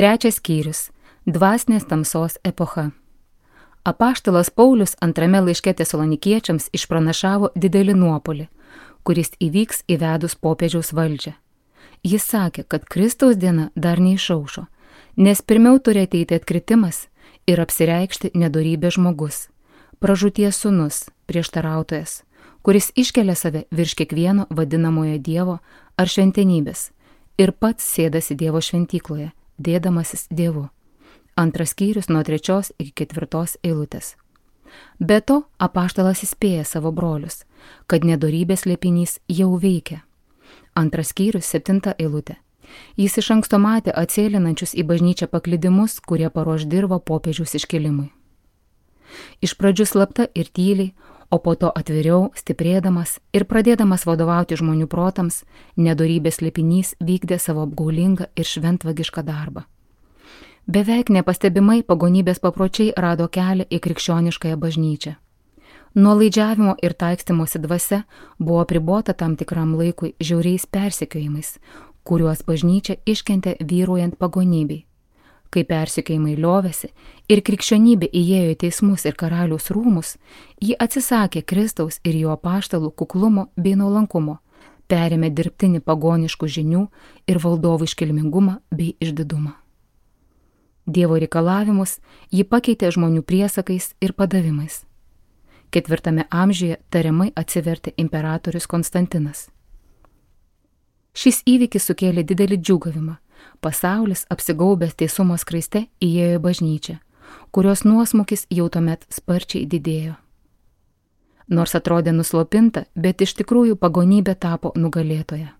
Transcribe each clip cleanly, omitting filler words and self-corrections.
Trečias skyrius – dvasinės tamsos epocha. Apaštalas Paulius antrame laiške Tesalonikiečiams išpranašavo didelį nuopuolį, kuris įvyks įvedus popiežiaus valdžią. Jis sakė, kad Kristaus diena dar neišaušo, nes pirmiau turi ateiti atkritimas ir apsireikšti nedorybės žmogus, pražūties sūnus, prieštarautojas, kuris iškelia save virš kiekvieno vadinamojo Dievo ar šventenybės ir pats sėdasi Dievo šventykloje, dėdamasis Dievu. Antras skyrius nuo 3 iki 4 eilutės. Be to, apaštalas įspėja savo brolius, kad nedorybės slėpinys jau veikia. Antras skyrius 7 eilutė. Jis iš anksto matė atsėlinančius į bažnyčią paklydimus, kurie paruoš dirvą popiežiaus iškilimui. Iš pradžių slapta ir tyliai, o po to atviriau, stiprėdamas ir pradėdamas vadovauti žmonių protams, nedorybės slėpinys vykdė savo apgaulingą ir šventvagišką darbą. Beveik nepastebimai pagonybės papročiai rado kelią į krikščioniškąją bažnyčią. Nuolaidžiavimo ir taikstymosi dvasia buvo apribota tam tikram laikui žiauriais persekiojimais, kuriuos bažnyčia iškentė vyruojant pagonybei. Kai persekiojimai liovėsi ir krikščionybė įėjo į teismus ir karaliaus rūmus, ji atsisakė Kristaus ir jo apaštalų kuklumo bei nuolankumo, perėmė dirbtinį pagoniškų žinių ir valdovų iškilmingumą bei išdidumą. Dievo reikalavimus ji pakeitė žmonių priesakais ir padavimais. 4 amžiuje tariamai atsivertė imperatorius Konstantinas. Šis įvykis sukėlė didelį džiūgavimą. Pasaulis, apsigaubęs teisumo skraiste, įėjo į bažnyčią, kurios nuosmukis jau tuomet sparčiai didėjo. Nors atrodė nuslopinta, bet iš tikrųjų pagonybė tapo nugalėtoja.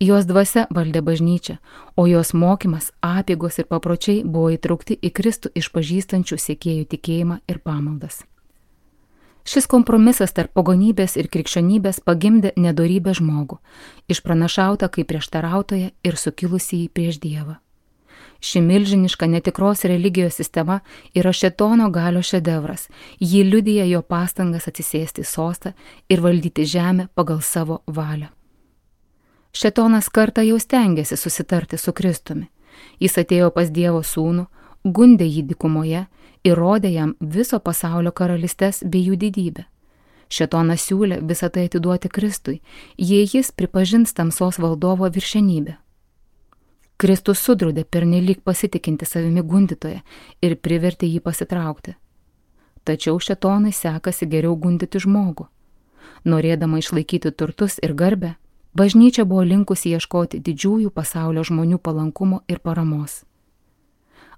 Jos dvasia valdė bažnyčią, o jos mokymas, apeigos ir papročiai buvo įtraukti į Kristų išpažįstančių sekėjų tikėjimą ir pamaldas. Šis kompromisas tarp pagonybės ir krikščionybės pagimdė nedorybę žmogų, išpranašautą kaip prieštarautoją ir sukilusį prieš Dievą. Ši milžiniška netikros religijos sistema yra šėtono galios šedevras, ji liudija jo pastangas atsisėsti į sostą ir valdyti žemę pagal savo valią. Šėtonas kartą jau stengėsi susitarti su Kristumi. Jis atėjo pas Dievo sūnų, gundė jį dykumoje ir rodė jam viso pasaulio karalystes bei jų didybę. Šėtonas siūlė visą tai atiduoti Kristui, jei jis pripažins tamsos valdovo viršenybę. Kristus sudraudė pernelyg pasitikinti savimi gundytoje ir privertė jį pasitraukti. Tačiau šėtonai sekasi geriau gundyti žmogų. Norėdama išlaikyti turtus ir garbę, bažnyčia buvo linkusi ieškoti didžiųjų pasaulio žmonių palankumo ir paramos.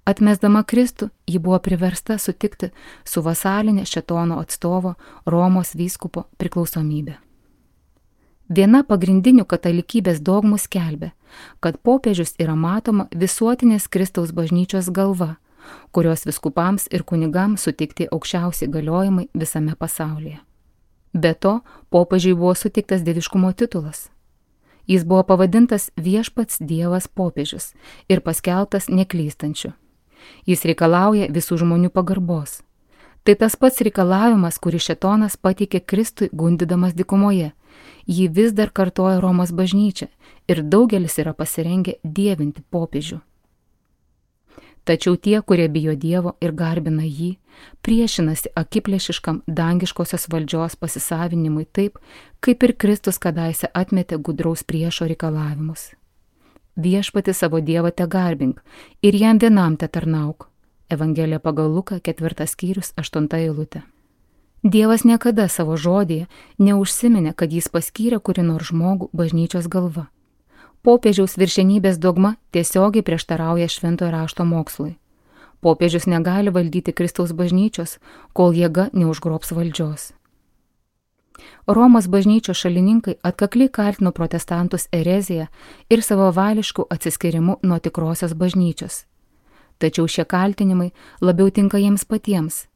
Atmesdama Kristų, ji buvo priversta sutikti su vasalinė šėtono atstovo Romos vyskupo priklausomybė. Viena pagrindinių katalikybės dogmų skelbė, kad popiežius yra matoma visuotinės Kristaus bažnyčios galva, kurios vyskupams ir kunigams suteikti aukščiausi galiojimai visame pasaulyje. Be to, popiežiui buvo suteiktas dieviškumo titulas. Jis buvo pavadintas viešpats Dievas popiežius ir paskelbtas neklystančiu. Jis reikalauja visų žmonių pagarbos. Tai tas pats reikalavimas, kurį šėtonas pateikė Kristui gundydamas dykumoje. Jį vis dar kartoja Romos bažnyčia ir daugelis yra pasirengę dievinti popiežių. Tačiau tie, kurie bijo Dievo ir garbina jį, priešinasi akiplėšiškam dangiškosios valdžios pasisavinimui taip, kaip ir Kristus kadaise atmetė gudraus priešo reikalavimus. Viešpati savo Dievą te garbink ir jam vienam te tarnauk. Evangelija pagal Luką 4 skyrius 8 eilutė. Dievas niekada savo žodyje neužsiminė, kad jis paskyrė kurį nors žmogų bažnyčios galva. Popiežiaus viršenybės dogma tiesiogiai prieštarauja šventojo rašto mokslui. Popiežius negali valdyti Kristaus bažnyčios, kol jėga neužgrobs valdžios. Romos bažnyčios šalininkai atkakliai kaltino protestantus erezija ir savavališku atsiskirimu nuo tikrosios bažnyčios. Tačiau šie kaltinimai labiau tinka jiems patiems.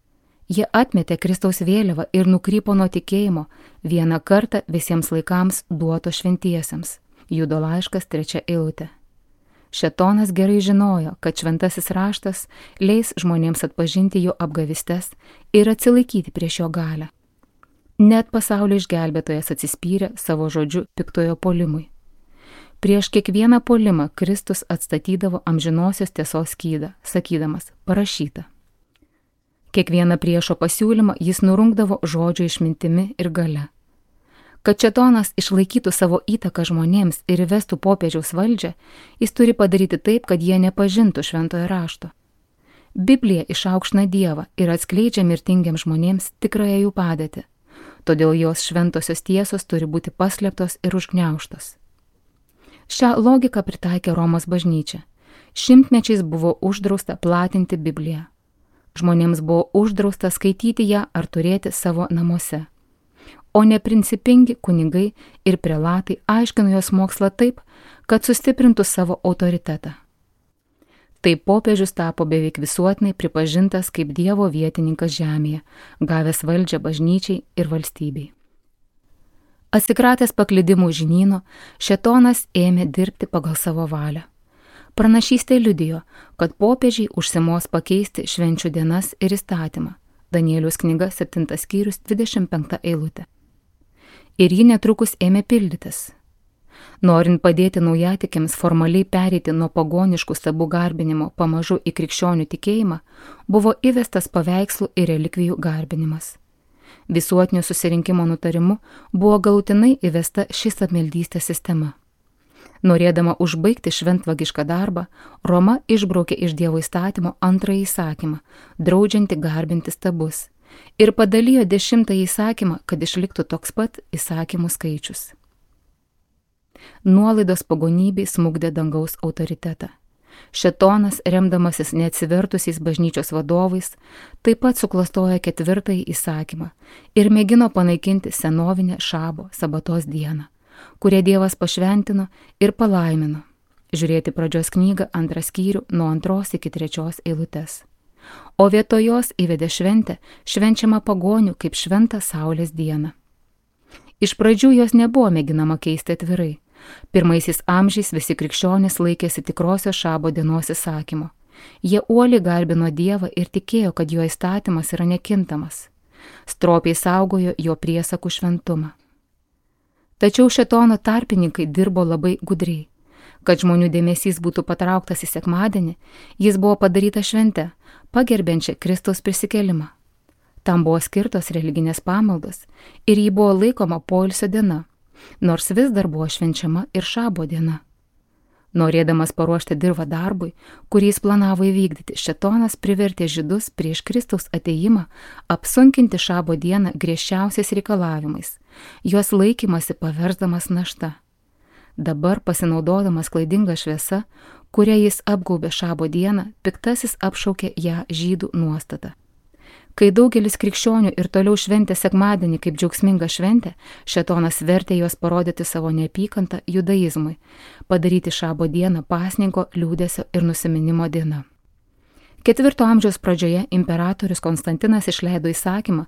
Jie atmetė Kristaus vėliavą ir nukrypo nuo tikėjimo vieną kartą visiems laikams duoto šventiesiems. Judo laiškas 3 eilutė. Šėtonas gerai žinojo, kad šventasis raštas leis žmonėms atpažinti jo apgavystes ir atsilaikyti prieš jo galią. Net pasaulio išgelbėtojas atsispyrė savo žodžiu piktojo puolimui. Prieš kiekvieną puolimą Kristus atstatydavo amžinosios tiesos skydą, sakydamas, parašyta. Kiekvieną priešo pasiūlymą jis nurungdavo žodžio išmintimi ir galia. Kad šėtonas išlaikytų savo įtaką žmonėms ir įvestų popiežiaus valdžią, jis turi padaryti taip, kad jie nepažintų šventojo rašto. Biblija išaukština Dievą ir atskleidžia mirtingiems žmonėms tikrąją jų padėtį, todėl jos šventosios tiesos turi būti paslėptos ir užgniaužtos. Šią logiką pritaikė Romos bažnyčia. Šimtmečiais buvo uždrausta platinti Bibliją. Žmonėms buvo uždrausta skaityti ją ar turėti savo namuose. O neprincipingi kunigai ir prelatai aiškino jos mokslą taip, kad sustiprintų savo autoritetą. Taip popiežius tapo beveik visuotinai pripažintas kaip Dievo vietininkas žemėje, gavęs valdžią bažnyčiai ir valstybei. Atsikratęs paklydimų žinyno, šėtonas ėmė dirbti pagal savo valią. Pranašystė liudijo, kad popiežiai užsimos pakeisti švenčių dienas ir įstatymą. Danieliaus knyga 7 skyrius 25 eilutė. Ir ji netrukus ėmė pildytis. Norint padėti naujatikiams formaliai pereiti nuo pagoniškų stabų garbinimo pamažu į krikščionių tikėjimą, buvo įvestas paveikslų ir relikvijų garbinimas. Visuotinio susirinkimo nutarimu buvo galutinai įvesta ši stabmeldystės sistema. Norėdama užbaigti šventvagišką darbą, Roma išbraukė iš Dievo įstatymo antrąjį įsakymą, draudžiantį garbinti stabus, ir padalijo 10 įsakymą, kad išliktų toks pat įsakymų skaičius. Nuolaidos pagonybei smukdė dangaus autoritetą. Šėtonas, remdamasis neatsivertusiais bažnyčios vadovais, taip pat suklastojo 4 įsakymą ir mėgino panaikinti senovinę šabo sabatos dieną, kurią Dievas pašventino ir palaimino. Žiūrėti pradžios knygą 2 skyrių nuo 2 iki 3 eilutės. O vietoj jos įvedė šventę, švenčiama pagonių kaip šventą saulės dieną. Iš pradžių jos nebuvo mėginama keisti atvirai. Pirmaisiais amžiais visi krikščionys laikėsi tikrosios šabo dienos įsakymo. Jie uoliai garbino Dievą ir tikėjo, kad jo įstatymas yra nekintamas. Stropiai saugojo jo priesakų šventumą. Tačiau šėtono tarpininkai dirbo labai gudriai. Kad žmonių dėmesys būtų patrauktas į sekmadienį, jis buvo padaryta švente, pagerbiančia Kristaus prisikėlimą. Tam buvo skirtos religinės pamaldos ir ji buvo laikoma poilsio diena, nors vis dar buvo švenčiama ir šabo diena. Norėdamas paruošti dirvą darbui, kurį jis planavo įvykdyti, šėtonas privertė žydus prieš Kristaus atėjimą apsunkinti šabo dieną griežčiausiais reikalavimais, jos laikymasi paversdamas našta. Dabar, pasinaudodamas klaidinga šviesa, kurią jis apgaubė šabo dieną, piktasis apšaukė ją žydų nuostatą. Kai daugelis krikščionių ir toliau šventė sekmadienį kaip džiaugsmingą šventę, šėtonas vertė juos parodyti savo neapykantą judaizmui, padaryti šabo dieną pasninko, liūdesio ir nusiminimo diena. 4 amžiaus pradžioje imperatorius Konstantinas išleido įsakymą,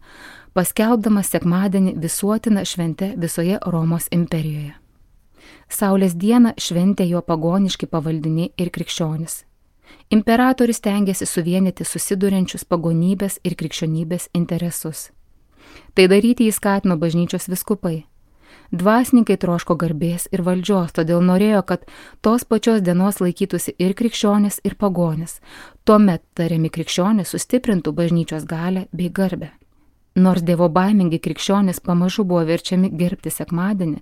paskelbdamas sekmadienį visuotiną šventę visoje Romos imperijoje. Saulės dieną šventė jo pagoniški pavaldiniai ir krikščionis. Imperatorius tengėsi suvienyti susiduriančius pagonybės ir krikščionybės interesus. Tai daryti jis skatino bažnyčios vyskupai. Dvasininkai troško garbės ir valdžios, todėl norėjo, kad tos pačios dienos laikytųsi ir krikščionis, ir pagonis. Tuomet tariami krikščionis sustiprintų bažnyčios galią bei garbę. Nors dievobaimingi krikščionys pamažu buvo verčiami gerbti sekmadienį,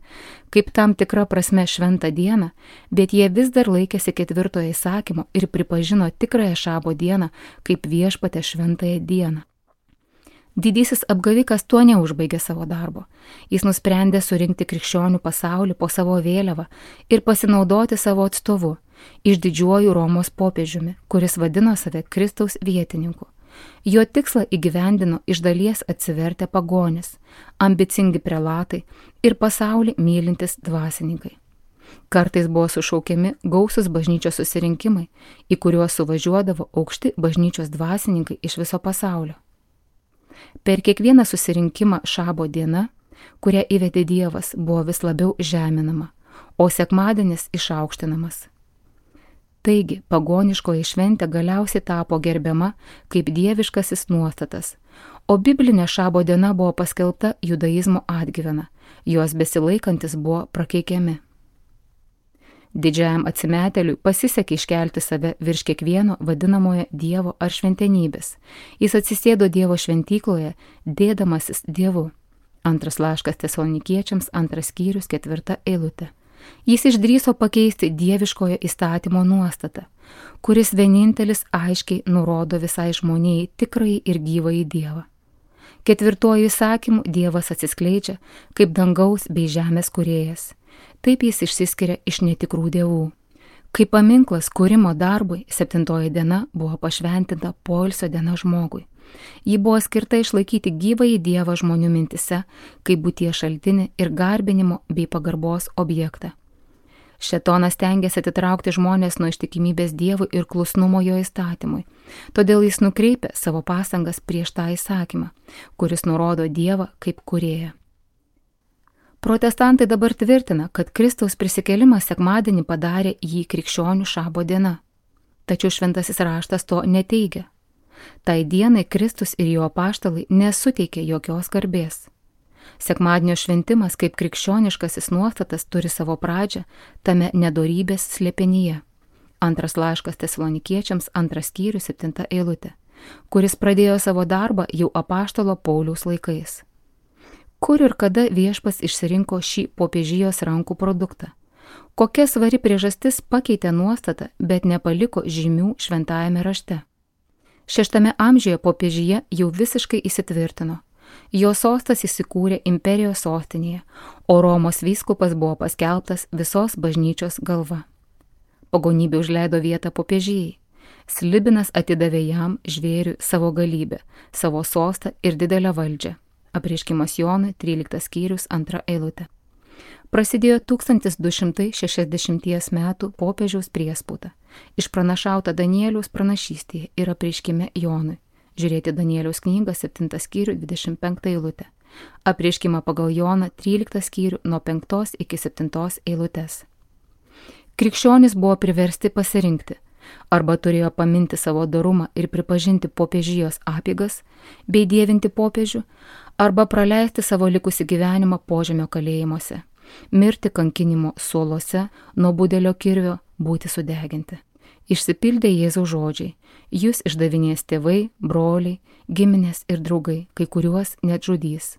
kaip tam tikra prasme šventą dieną, bet jie vis dar laikėsi 4 įsakymo ir pripažino tikrąją šabo dieną kaip viešpatę šventąją dieną. Didysis apgavikas tuo neužbaigė savo darbo. Jis nusprendė surinkti krikščionių pasaulį po savo vėliavą ir pasinaudoti savo atstovu, išdidžiuoju Romos popiežiumi, kuris vadino save Kristaus vietininku. Jo tikslą įgyvendino iš dalies atsivertę pagonis, ambicingi prelatai ir pasaulį mylintis dvasininkai. Kartais buvo sušaukiami gausus bažnyčios susirinkimai, į kuriuos suvažiuodavo aukšti bažnyčios dvasininkai iš viso pasaulio. Per kiekvieną susirinkimą šabo diena, kurią įvedė Dievas, buvo vis labiau žeminama, o sekmadienis išaukštinamas. Taigi, pagoniškoji šventė galiausiai tapo gerbiama kaip dieviškasis nuostatas, o biblinė šabo diena buvo paskelbta judaizmo atgyvena, jos besilaikantis buvo prakeikiami. Didžiajam atsimetėliui pasisekė iškelti save virš kiekvieno vadinamojo Dievo ar šventenybės. Jis atsisėdo Dievo šventykloje, dėdamasis Dievu. Antras laiškas Tesalonikiečiams, 2 skyrius, 4 eilutė. Jis išdrįso pakeisti dieviškojo įstatymo nuostatą, kuris vienintelis aiškiai nurodo visai žmonijai tikrąjį ir gyvąjį Dievą. 4 įsakymu Dievas atsiskleidžia kaip dangaus bei žemės kūrėjas. Taip jis išsiskiria iš netikrų dievų. Kaip paminklas kūrimo darbui, 7 diena buvo pašventinta poilsio diena žmogui. Ji buvo skirta išlaikyti gyvąjį Dievą žmonių mintise, kaip būties šaltinį ir garbinimo bei pagarbos objektą. Šėtonas stengiasi atitraukti žmonės nuo ištikimybės Dievui ir klusnumo jo įstatymui. Todėl jis nukreipia savo pastangas prieš tą įsakymą, kuris nurodo Dievą kaip kūrėją. Protestantai dabar tvirtina, kad Kristaus prisikėlimas sekmadienį padarė jį krikščionių šabo diena. Tačiau šventasis raštas to neteigia. Tai dienai Kristus ir jo apaštalai nesuteikė jokios garbės. Sekmadienio šventimas kaip krikščioniškasis nuostatas turi savo pradžią tame nedorybės slėpinyje. Antras laiškas Tesalonikiečiams, 2 skyrius, 7 eilutė, kuris pradėjo savo darbą jau apaštalo Pauliaus laikais. Kur ir kada Viešpats išsirinko šį popiežijos rankų produktą? Kokia svari priežastis pakeitė nuostatą, bet nepaliko žymių šventajame rašte? 6 amžiuje popiežija jau visiškai įsitvirtino. Jo sostas įsikūrė imperijos sostinėje, o Romos vyskupas buvo paskelbtas visos bažnyčios galva. Pagonybė užleido vietą popiežijai. Slibinas atidavė jam žvėriui savo galybę, savo sostą ir didelę valdžią. Apreiškimas Jonui, 13 skyrius, 2 eilutė. Prasidėjo 1260 metų popiežiaus priespauda, išpranašauta Danieliaus pranašystėje ir apreiškime Jonui. Žiūrėti Danieliaus knygą, 7 skyrių, 25 eilutė. Apreiškimą pagal Joną, 13 skyrių, nuo 5 iki 7 eilutės. Krikščionys buvo priversti pasirinkti, arba turėjo paminti savo dorumą ir pripažinti popiežijos apeigas, bei dievinti popiežių, arba praleisti savo likusį gyvenimą požemio kalėjimuose, mirti kankinimo suolose, nuo budelio kirvio, būti sudeginti. Išsipildė Jėzaus žodžiai, jūs išdavinės tėvai, broliai, giminės ir draugai, kai kuriuos net žudys.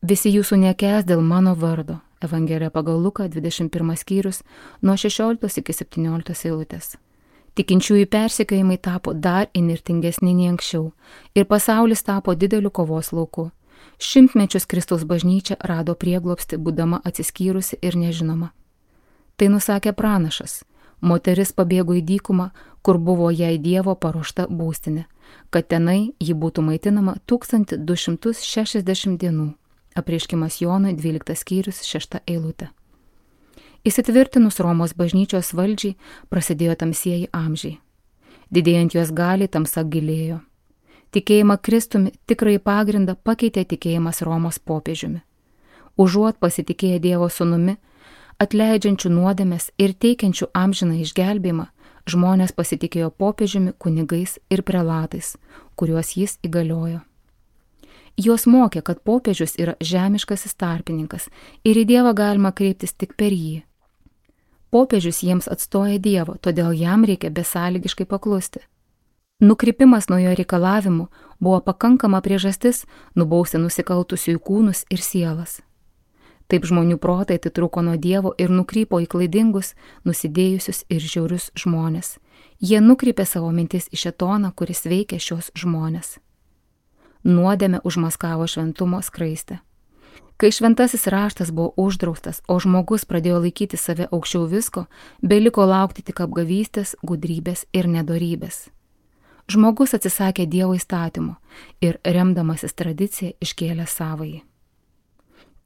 Visi jūsų nekęs dėl mano vardo. Evangelija pagal Luką, 21 skyrius, nuo 16 iki 17 eilutės. Tikinčiųjų persekiojimai tapo dar įnirtingesni nei anksčiau ir pasaulis tapo dideliu kovos lauku. Šimtmečius Kristaus bažnyčia rado prieglobstį, būdama atsiskyrusi ir nežinoma. Tai nusakė pranašas. Moteris pabėgo į dykumą, kur buvo jai Dievo paruošta būstinė, kad tenai ji būtų maitinama 1260 dienų. Apreiškimas Jonui, 12 skyrius, 6 eilutė. Įsitvirtinus Romos bažnyčios valdžiai prasidėjo tamsieji amžiai. Didėjant jos galiai tamsa gilėjo. Tikėjimą Kristumi tikrai pagrindą pakeitė tikėjimas Romos popiežiumi. Užuot pasitikėję Dievo sūnumi, atleidžiančių nuodėmes ir teikiančių amžiną išgelbėjimą, žmonės pasitikėjo popiežiumi, kunigais ir prelatais, kuriuos jis įgaliojo. Jos mokė, kad popiežius yra žemiškasis tarpininkas ir į Dievą galima kreiptis tik per jį. Popiežius jiems atstoja Dievo, todėl jam reikia besąlygiškai paklusti. Nukrypimas nuo jo reikalavimų buvo pakankama priežastis nubausti nusikaltusiųjų kūnus ir sielas. Taip žmonių protai atitrūko nuo Dievo ir nukrypo į klaidingus, nusidėjusius ir žiaurius žmonės. Jie nukrypė savo mintis į šėtoną, kuris veikia šios žmonės. Nuodėmė užmaskavo šventumo skraistę. Kai šventasis raštas buvo uždraustas, o žmogus pradėjo laikyti save aukščiau visko, beliko laukti tik apgavystės, gudrybės ir nedorybės. Žmogus atsisakė Dievo įstatymo ir remdamasis tradiciją iškėlė savąjį.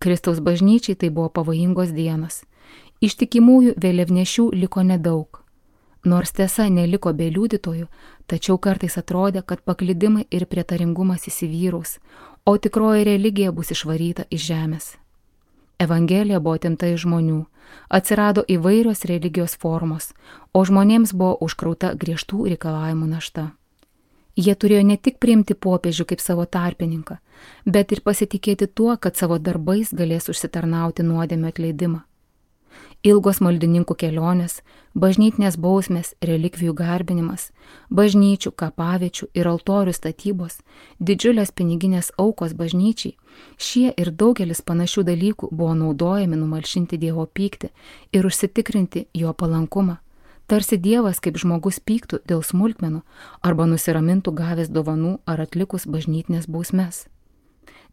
Kristaus bažnyčiai tai buvo pavojingos dienos. Ištikimųjų vėliavnešių liko nedaug. Nors tiesa neliko be liudytojų, tačiau kartais atrodė, kad paklydimai ir prietaringumas įsivyraus, o tikroji religija bus išvaryta iš žemės. Evangelija buvo atimta iš žmonių, atsirado įvairios religijos formos, o žmonėms buvo užkrauta griežtų reikalavimų našta. Jie turėjo ne tik priimti popiežių kaip savo tarpininką, bet ir pasitikėti tuo, kad savo darbais galės užsitarnauti nuodėmio atleidimą. ilgos maldininkų kelionės, bažnytinės bausmės, relikvijų garbinimas, bažnyčių, kapaviečių ir altorių statybos, didžiulės piniginės aukos bažnyčiai, šie ir daugelis panašių dalykų buvo naudojami numalšinti Dievo pyktį ir užsitikrinti jo palankumą. Tarsi Dievas kaip žmogus pyktų dėl smulkmenų arba nusiramintų gavęs dovanų ar atlikus bažnytinės bausmes.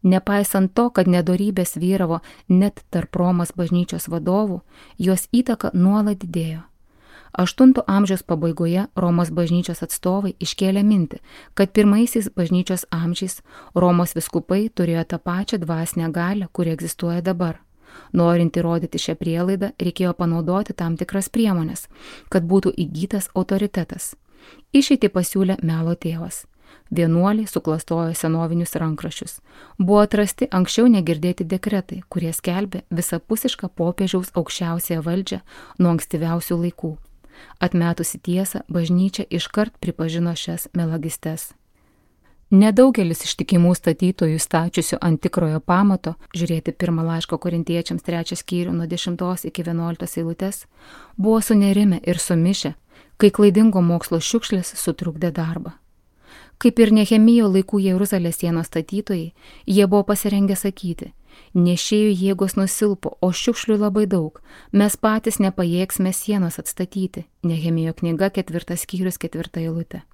Nepaisant to, kad nedorybės vyravo net tarp Romos bažnyčios vadovų, jos įtaka nuolat didėjo. 8 amžiaus pabaigoje Romos bažnyčios atstovai iškėlė mintį, kad pirmaisiais bažnyčios amžiais Romos vyskupai turėjo tą pačią dvasinę galią, kuri egzistuoja dabar. Norint įrodyti šią prielaidą, reikėjo panaudoti tam tikras priemonės, kad būtų įgytas autoritetas. Išeitį pasiūlė Melo tėvas. Vienuoliai suklastojo senovinius rankraščius. Buvo atrasti anksčiau negirdėti dekretai, kurie skelbė visapusišką popiežiaus aukščiausiąją valdžią nuo ankstyviausių laikų. Atmetusi tiesą, bažnyčia iškart pripažino šias melagystes. Nedaugelis ištikimų statytojų stačiusių ant tikrojo pamato, žiūrėti 1 laiško Korintiečiams 3 skyrių nuo 10 iki 11 eilutės, buvo sunerimę ir sumišę, kai klaidingo mokslo šiukšlės sutrukdė darbą. Kaip ir Nehemijo laikų Jeruzalės sienos statytojai, jie buvo pasirengę sakyti: nešėjų jėgos nusilpo, o šiukšlių labai daug, mes patys nepajėgsime sienos atstatyti. Nehemijo knyga 4 skyrius 4 eilutė.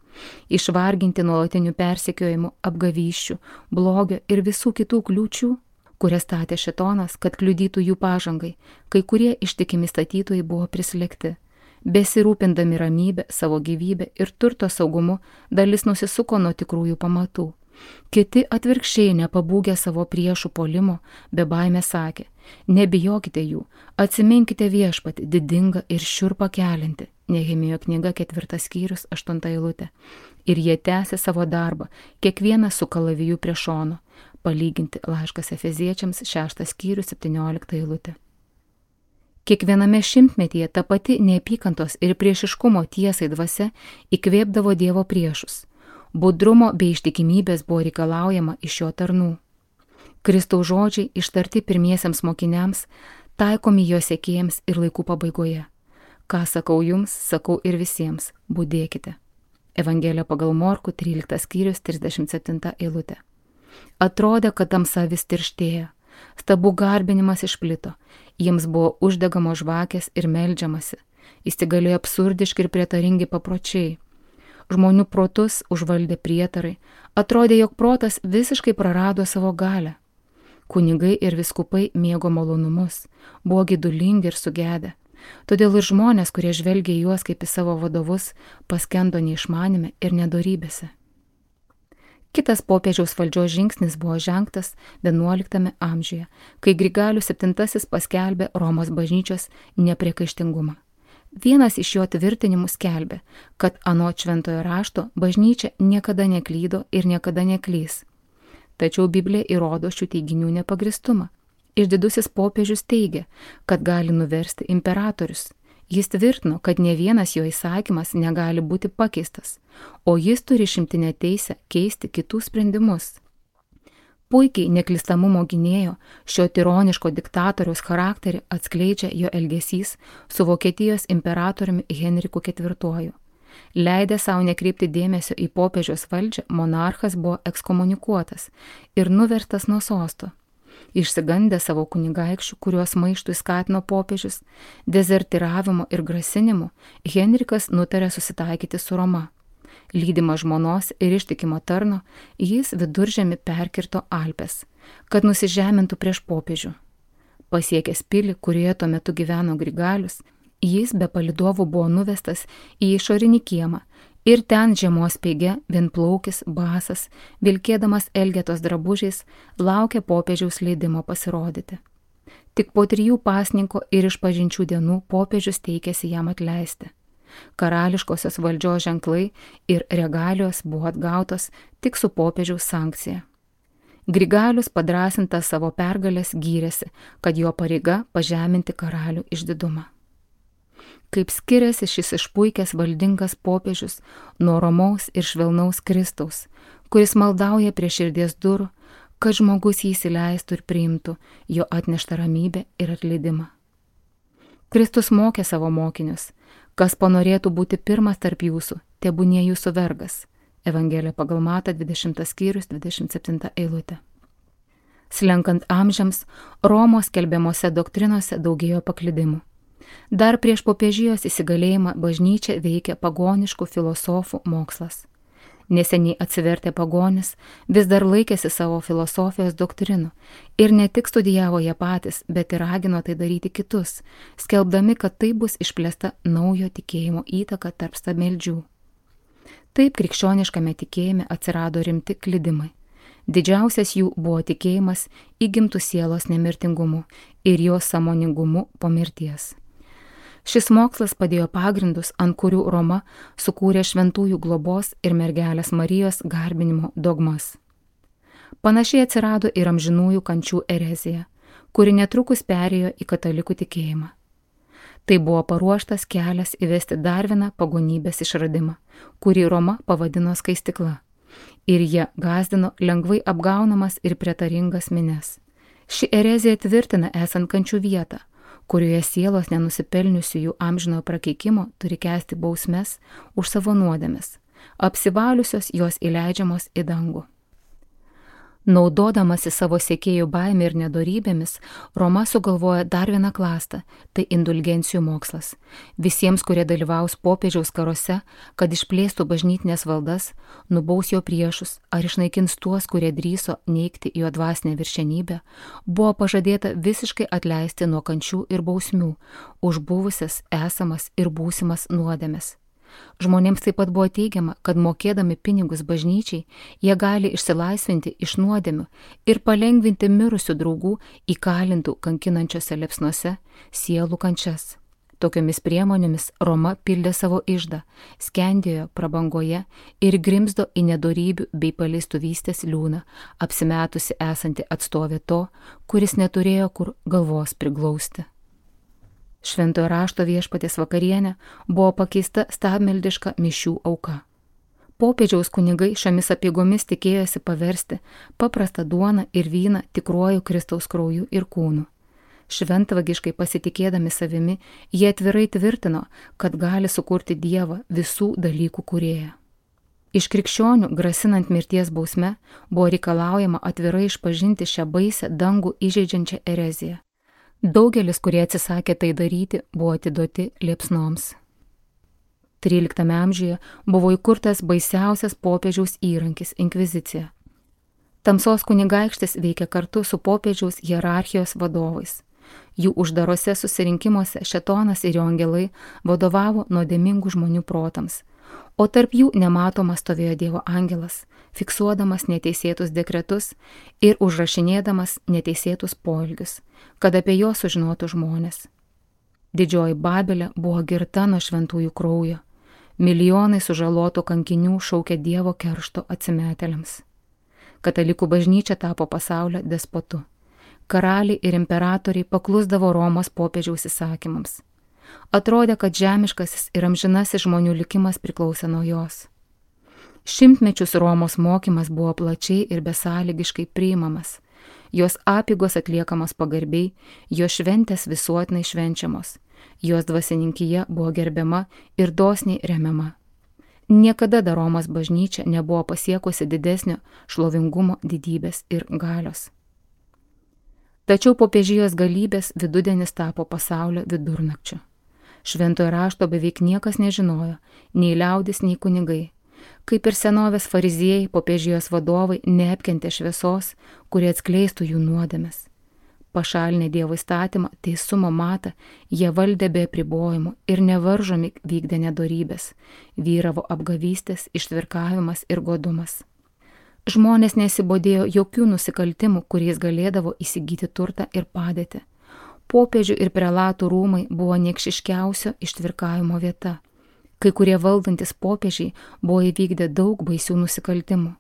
Išvarginti nuolatinių persekiojimų, apgavysčių, blogio ir visų kitų kliūčių, kurias statė šėtonas, kad kliudytų jų pažangai, kai kurie ištikimi statytojai buvo prislėgti. Besirūpindami ramybę, savo gyvybę ir turto saugumu, dalis nusisuko nuo tikrųjų pamatų. Kiti atvirkščiai nepabūgę savo priešų puolimo, be baimės sakė: nebijokite jų, atsiminkite viešpatį, didingą ir šiurpą keliantį. Nehemijo knyga 4 skyrius 8 eilutė. Ir jie tęsė savo darbą, kiekvienas su kalaviju prie šono. Palyginti laiškas Efeziečiams 6 skyrius 17 eilutė. Kiekviename šimtmetyje ta pati neapykantos ir priešiškumo tiesai dvasia įkvėpdavo Dievo priešus. Budrumo bei ištikimybės buvo reikalaujama iš jo tarnų. Kristaus žodžiai ištarti pirmiesiems mokiniams, taikomi jo sekėjams ir laikų pabaigoje. Ką sakau jums, sakau ir visiems, budėkite. Evangelija pagal Morkų 13 skyrius 37 eilutė. Atrodė, kad tamsa vis tirštėja. Stabų garbinimas išplito, jiems buvo uždegamos žvakės ir meldžiamasi. Įsigalėjo absurdiški ir prietaringi papročiai. Žmonių protus užvaldė prietarai, atrodė, jog protas visiškai prarado savo galią. Kunigai ir vyskupai mėgo malonumus, buvo gedulingi ir sugedę. Todėl ir žmonės, kurie žvelgė į juos kaip į savo vadovus, paskendo neišmanime ir nedorybėse. Kitas popiežiaus valdžios žingsnis buvo žengtas 11 amžiuje, kai Grigalius VII paskelbė Romos bažnyčios nepriekaištingumą. Vienas iš jo tvirtinimų skelbė, kad anot šventojo rašto bažnyčia niekada neklydo ir niekada neklys. Tačiau Biblija įrodo šių teiginių nepagristumą. Išdidusis popiežius teigia, kad gali nuversti imperatorius. Jis tvirtino, kad ne vienas jo įsakymas negali būti pakeistas, o jis turi išimtinę teisę keisti kitų sprendimus. Puikiai neklystamumo gynėjo šio tironiško diktatoriaus charakterį atskleidžia jo elgesys su Vokietijos imperatoriumi Henriku IV. Leidę savo nekreipti dėmesio į popiežiaus valdžią, monarchas buvo ekskomunikuotas ir nuverstas nuo sosto. Išsigandę savo kunigaikščių, kuriuos maištui skatino popiežius, dezertiravimo ir grasinimu, Henrikas nutarė susitaikyti su Roma. Lydimas žmonos ir ištikimo tarno, jis viduržemį perkirto Alpes, kad nusižemintų prieš popiežių. Pasiekęs pilį, kurioje tuo metu gyveno Grigalius, jis be palydovų buvo nuvestas į išorinį kiemą ir ten žiemos speige vienplaukis, basas, vilkėdamas elgetos drabužiais, laukė popiežiaus leidimo pasirodyti. Tik po 3 pasninko ir išpažinčių dienų popiežius teikėsi jam atleisti. Karališkosios valdžios ženklai ir regalijos buvo atgautos tik su popiežiaus sankcija. Grigalius padrasintas savo pergalės gyrėsi, kad jo pareiga pažeminti karalių išdidumą. Kaip skiriasi šis išpuikęs valdingas popiežius nuo romaus ir švelnaus Kristaus, kuris maldauja prie širdies durų, kad žmogus jį įsileistų ir priimtų jo atneštą ramybę ir atleidimą. Kristus mokė savo mokinius, kas panorėtų būti pirmas tarp jūsų, tebūnie jūsų vergas. Evangelija pagal Matą 20 skyrius 27 eilutė. Slenkant amžiams, Romos skelbiamose doktrinose daugėjo paklydimų. Dar prieš popiežijos įsigalėjimą bažnyčia veikė pagoniškų filosofų mokslas. Neseniai atsivertę pagonis vis dar laikėsi savo filosofijos doktrinų ir ne tik studijavo jie patys, bet ir ragino tai daryti kitus, skelbdami, kad tai bus išplėsta naujo tikėjimo įtaka tarp stabmeldžių. Taip krikščioniškame tikėjime atsirado rimti klydimai. Didžiausias jų buvo tikėjimas įgimtų sielos nemirtingumu ir jos sąmoningumu po mirties. Šis mokslas padėjo pagrindus, ant kurių Roma sukūrė šventųjų globos ir mergelės Marijos garbinimo dogmas. Panašiai atsirado ir amžinųjų kančių erezija, kuri netrukus perėjo į katalikų tikėjimą. Tai buvo paruoštas kelias įvesti dar vieną pagonybės išradimą, kurį Roma pavadino skaistykla. Ir jie gąsdino lengvai apgaunamas ir prietaringas minias. Ši erezija tvirtina esant kančių vietą, kurioje sielos nenusipelniusiųjų amžinojo prakeikimo turi kęsti bausmes už savo nuodėmes, apsivaliusios jos įleidžiamos į dangų. Naudodamasi savo sekėjų baimė ir nedorybėmis, Roma sugalvoja dar vieną klastą, tai indulgencijų mokslas. Visiems, kurie dalyvaus popiežiaus karuose, kad išplėstų bažnytinės valdas, nubaus jo priešus ar išnaikins tuos, kurie drįso neigti jo dvasinę viršenybę, buvo pažadėta visiškai atleisti nuo kančių ir bausmių už buvusias, esamas ir būsimas nuodėmes. Žmonėms taip pat buvo teigiama, kad mokėdami pinigus bažnyčiai, jie gali išsilaisvinti iš nuodėmių ir palengvinti mirusių draugų įkalintų kankinančiose liepsnose sielų kančias. Tokiomis priemonėmis Roma pildė savo iždą, skendėjo prabangoje ir grimzdo į nedorybių bei paleistuvystės liūną, apsimetusi esanti atstovė to, kuris neturėjo kur galvos priglausti. Šventojo rašto Viešpaties vakarienė buvo pakeista stabmeldiška mišių auka. Popiežiaus kunigai šiomis apeigomis tikėjosi paversti paprastą duoną ir vyną tikruoju Kristaus krauju ir kūnu. Šventvagiškai pasitikėdami savimi, jie atvirai tvirtino, kad gali sukurti Dievą visų dalykų kūrėją. Iš krikščionių, grasinant mirties bausme, buvo reikalaujama atvirai išpažinti šią baisę dangų įžeidžiančią ereziją. Daugelis, kurie atsisakė tai daryti, buvo atiduoti liepsnoms. 13 amžiuje buvo įkurtas baisiausias popiežiaus įrankis – inkvizicija. Tamsos kunigaikštis veikė kartu su popiežiaus hierarchijos vadovais. Jų uždarose susirinkimuose šėtonas ir jo angelai vadovavo nuodėmingų žmonių protams, o tarp jų nematomas stovėjo Dievo angelas, fiksuodamas neteisėtus dekretus ir užrašinėdamas neteisėtus poelgius, kad apie juos sužinotų žmonės. Didžioji Babelė buvo girta nuo šventųjų kraujo, milijonai sužalotų kankinių šaukė Dievo keršto atsimetėliams. Katalikų bažnyčia tapo pasaulio despotu. Karaliai ir imperatoriai paklusdavo Romos popiežiaus įsakymams. Atrodė, kad žemiškasis ir amžinasis žmonių likimas priklausė nuo jos. Šimtmečius Romos mokymas buvo plačiai ir besąlygiškai priimamas. Jos apygos atliekamos pagarbiai, jos šventės visuotinai švenčiamos. Jos dvasininkija buvo gerbiama ir dosniai remiama. Niekada dar Romos bažnyčia nebuvo pasiekusi didesnio šlovingumo, didybės ir galios. Tačiau popiežijos galybės vidudienis tapo pasaulio vidurnakčiu. Šventojo rašto beveik niekas nežinojo, nei liaudis, nei kunigai. Kaip ir senovės fariziejai, popiežijos vadovai neapkentė šviesos, kurie atskleistų jų nuodėmes. Pašalinę Dievo įstatymą, teisumo matą, jie valdė be apribojimų ir nevaržomi vykdė nedorybės, vyravo apgavystės, ištvirkavimas ir godumas. Žmonės nesibodėjo jokių nusikaltimų, kuriais galėdavo įsigyti turtą ir padėtį. Popiežių ir prelatų rūmai buvo niekšiškiausio ištvirkavimo vieta. Kai kurie valdantis popiežiai buvo įvykdę daug baisių nusikaltimų.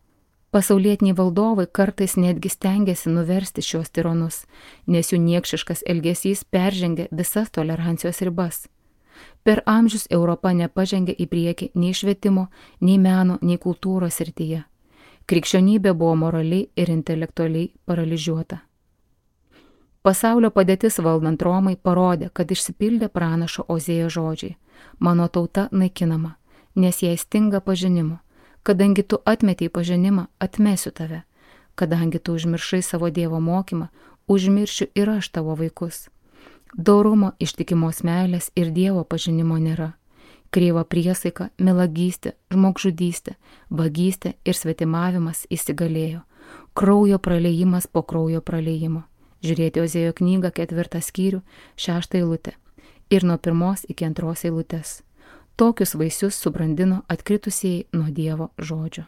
Pasaulietiniai valdovai kartais netgi stengėsi nuversti šios tironus, nes jų niekšiškas elgesys peržengė visas tolerancijos ribas. Per amžius Europa nepažengė į priekį nei švietimo, nei meno, nei kultūros srityje. Krikščionybė buvo moraliai ir intelektualiai paralyžiuota. Pasaulio padėtis valdant Romai parodė, kad išsipildė pranašo Ozėjo žodžiai. Mano tauta naikinama, nes jai stinga pažinimo. Kadangi tu atmetei pažinimą, atmesiu tave. Kadangi tu užmiršai savo Dievo mokymą, užmiršiu ir aš tavo vaikus. Dorumo, ištikimos meilės ir Dievo pažinimo nėra. Kreiva priesaika, melagystė, žmogžudystė, vagystė ir svetimavimas įsigalėjo. Kraujo praleijimas po kraujo praleijimo. Žiūrėti Ozėjo knygą 4 skyrių, 6 eilutė ir nuo 1 iki 2 eilutės. Tokius vaisius subrandino atkritusieji nuo Dievo žodžio.